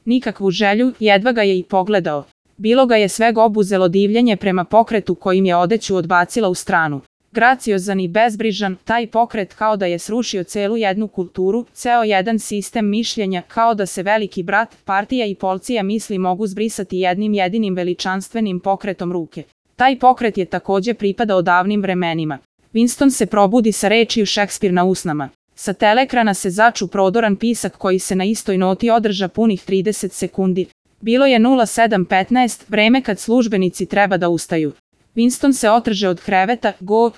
Nikakvu želju, jedva ga je i pogledao. Bilo ga je sveg obuzelo divljenje prema pokretu kojim je odeću odbacila u stranu. Graciozan i bezbrižan, taj pokret kao da je srušio celu jednu kulturu, ceo jedan sistem mišljenja, kao da se veliki brat, partija i policija misli mogu zbrisati jednim jedinim veličanstvenim pokretom ruke. Taj pokret je takođe pripadao davnim vremenima. Winston se probudi sa rečju Šekspir na usnama. Sa teleekrana se začu prodoran pisak koji se na istoj noti održa punih 30 sekundi. Bilo je 07:15, vreme kad službenici treba da ustaju. Winston se otrže od kreveta,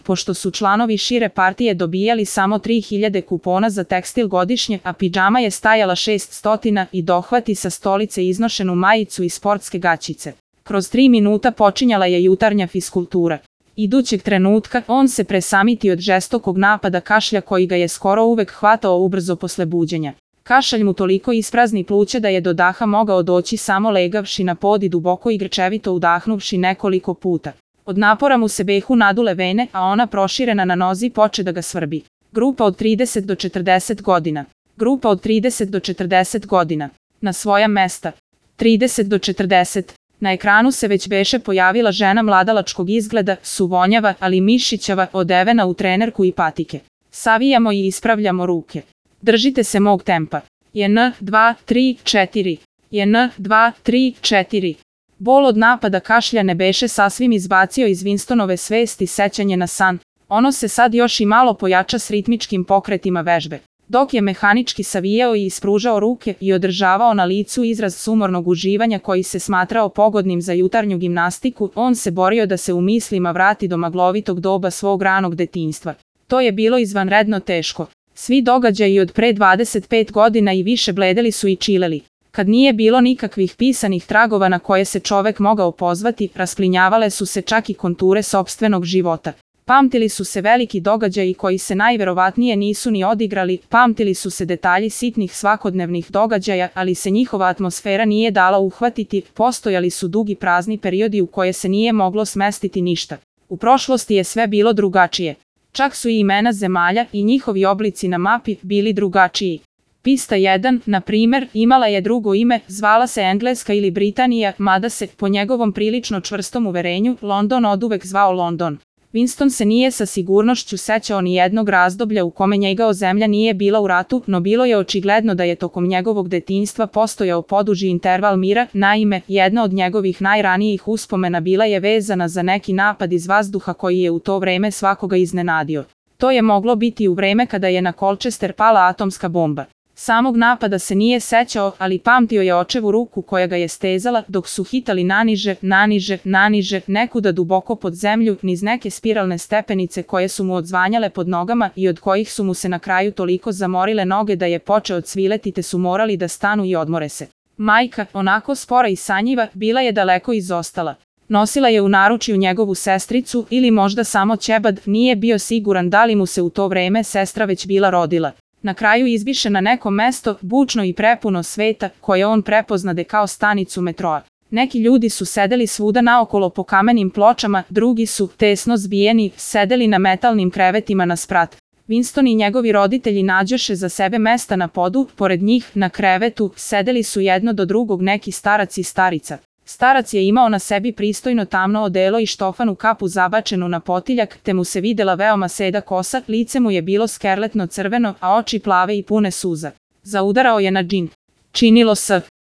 pošto su članovi šire partije dobijali samo 3000 kupona za tekstil godišnje, a pidžama je stajala 600 i dohvati sa stolice iznošenu majicu i sportske gaćice. Kroz 3 minuta počinjala je jutarnja fiskultura. Idućeg trenutka, on se presamiti od žestokog napada kašlja koji ga je skoro uvek hvatao ubrzo posle buđenja. Kašalj mu toliko isprazni pluća da je do daha mogao doći samo legavši na pod i duboko i grčevito udahnuvši nekoliko puta. Od napora mu se behu nadule vene, a ona proširena na nozi poče da ga svrbi. Grupa od 30 do 40 godina. Grupa od 30 do 40 godina. Na svoja mesta. 30 do 40. Na ekranu se već beše pojavila žena mladalačkog izgleda, suvonjava, ali mišićava, odevena u trenerku i patike. Savijamo i ispravljamo ruke. Držite se mog tempa. 1, 2, 3, 4. 1, 2, 3, 4. Bol od napada kašlja ne beše sasvim izbacio iz Winstonove svesti sećanje na san. Ono se sad još i malo pojača s ritmičkim pokretima vežbe. Dok je mehanički savijao i ispružao ruke i održavao na licu izraz sumornog uživanja koji se smatrao pogodnim za jutarnju gimnastiku, on se borio da se u mislima vrati do maglovitog doba svog ranog detinjstva. To je bilo izvanredno teško. Svi događaji od pre 25 godina i više bledeli su i čileli. Kad nije bilo nikakvih pisanih tragova na koje se čovek mogao pozvati, rasplinjavale su se čak i konture sopstvenog života. Pamtili su se veliki događaji koji se najverovatnije nisu ni odigrali, pamtili su se detalji sitnih svakodnevnih događaja, ali se njihova atmosfera nije dala uhvatiti, postojali su dugi prazni periodi u koje se nije moglo smestiti ništa. U prošlosti je sve bilo drugačije. Čak su i imena zemalja i njihovi oblici na mapi bili drugačiji. Pista 1, na primer, imala je drugo ime, zvala se Engleska ili Britanija, mada se, po njegovom prilično čvrstom uverenju, London oduvek zvao London. Winston se nije sa sigurnošću sećao ni jednog razdoblja u kome njegova zemlja nije bila u ratu, no bilo je očigledno da je tokom njegovog detinjstva postojao poduži interval mira. Naime, jedna od njegovih najranijih uspomena bila je vezana za neki napad iz vazduha koji je u to vreme svakoga iznenadio. To je moglo biti u vreme kada je na Colchester pala atomska bomba. Samog napada se nije sećao, ali pamtio je očevu ruku koja ga je stezala dok su hitali naniže, nekuda duboko pod zemlju, niz neke spiralne stepenice koje su mu odzvanjale pod nogama i od kojih su mu se na kraju toliko zamorile noge da je počeo cvileti te su morali da stanu i odmore se. Majka, onako spora i sanjiva, bila je daleko izostala. Nosila je u naručju njegovu sestricu ili možda samo ćebad, nije bio siguran da li mu se u to vreme sestra već bila rodila. Na kraju izbiše na neko mesto, bučno i prepuno sveta, koje on prepoznade kao stanicu metroa. Neki ljudi su sedeli svuda naokolo po kamenim pločama, drugi su, tesno zbijeni, sedeli na metalnim krevetima na sprat. Winston i njegovi roditelji nađoše za sebe mesta na podu, pored njih, na krevetu, sedeli su jedno do drugog neki starac i starica. Starac je imao na sebi pristojno tamno odelo i štofanu kapu zabačenu na potiljak, te mu se videla veoma seda kosa, lice mu je bilo skerletno crveno, a oči plave i pune suza. Zaudarao je na džin. Činilo se.